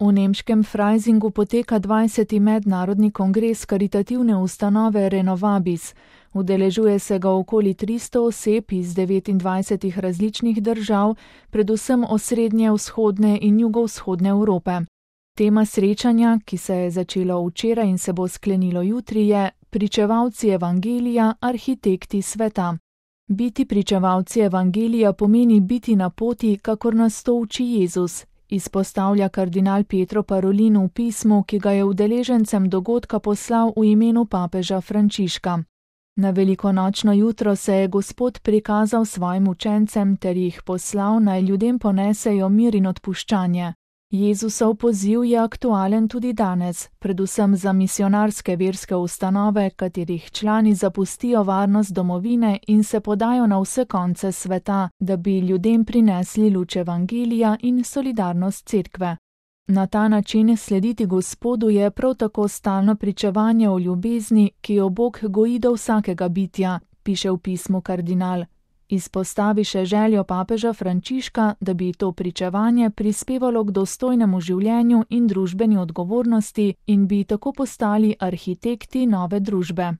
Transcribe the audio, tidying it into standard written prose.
V nemškem Freisingu poteka 20. mednarodni kongres karitativne ustanove Renovabis. Udeležuje se ga okoli 300 oseb iz 29 različnih držav, predvsem osrednje, vzhodne in jugovzhodne Evrope. Tema srečanja, ki se je začelo včeraj in se bo sklenilo jutri, je Pričevalci evangelija, arhitekti sveta. Biti pričevalci evangelija pomeni biti na poti, kakor nas to uči Jezus, izpostavlja kardinal Pietro Parolin v pismu, ki ga je udeležencem dogodka poslal v imenu papeža Frančiška. Na velikonočno jutro se je Gospod prikazal svojim učencem ter jih poslal, naj ljudem ponesejo mir in odpuščanje. Jezusov poziv je aktualen tudi danes, predvsem za misionarske verske ustanove, katerih člani zapustijo varnost domovine in se podajo na vse konce sveta, da bi ljudem prinesli luč evangelija in solidarnost cerkve. Na ta način slediti Gospodu je prav tako stalno pričevanje o ljubezni, ki jo Bog goji do vsakega bitja, piše v pismu kardinal. Izpostavi še željo papeža Frančiška, da bi to pričevanje prispevalo k dostojnemu življenju in družbeni odgovornosti in bi tako postali arhitekti nove družbe.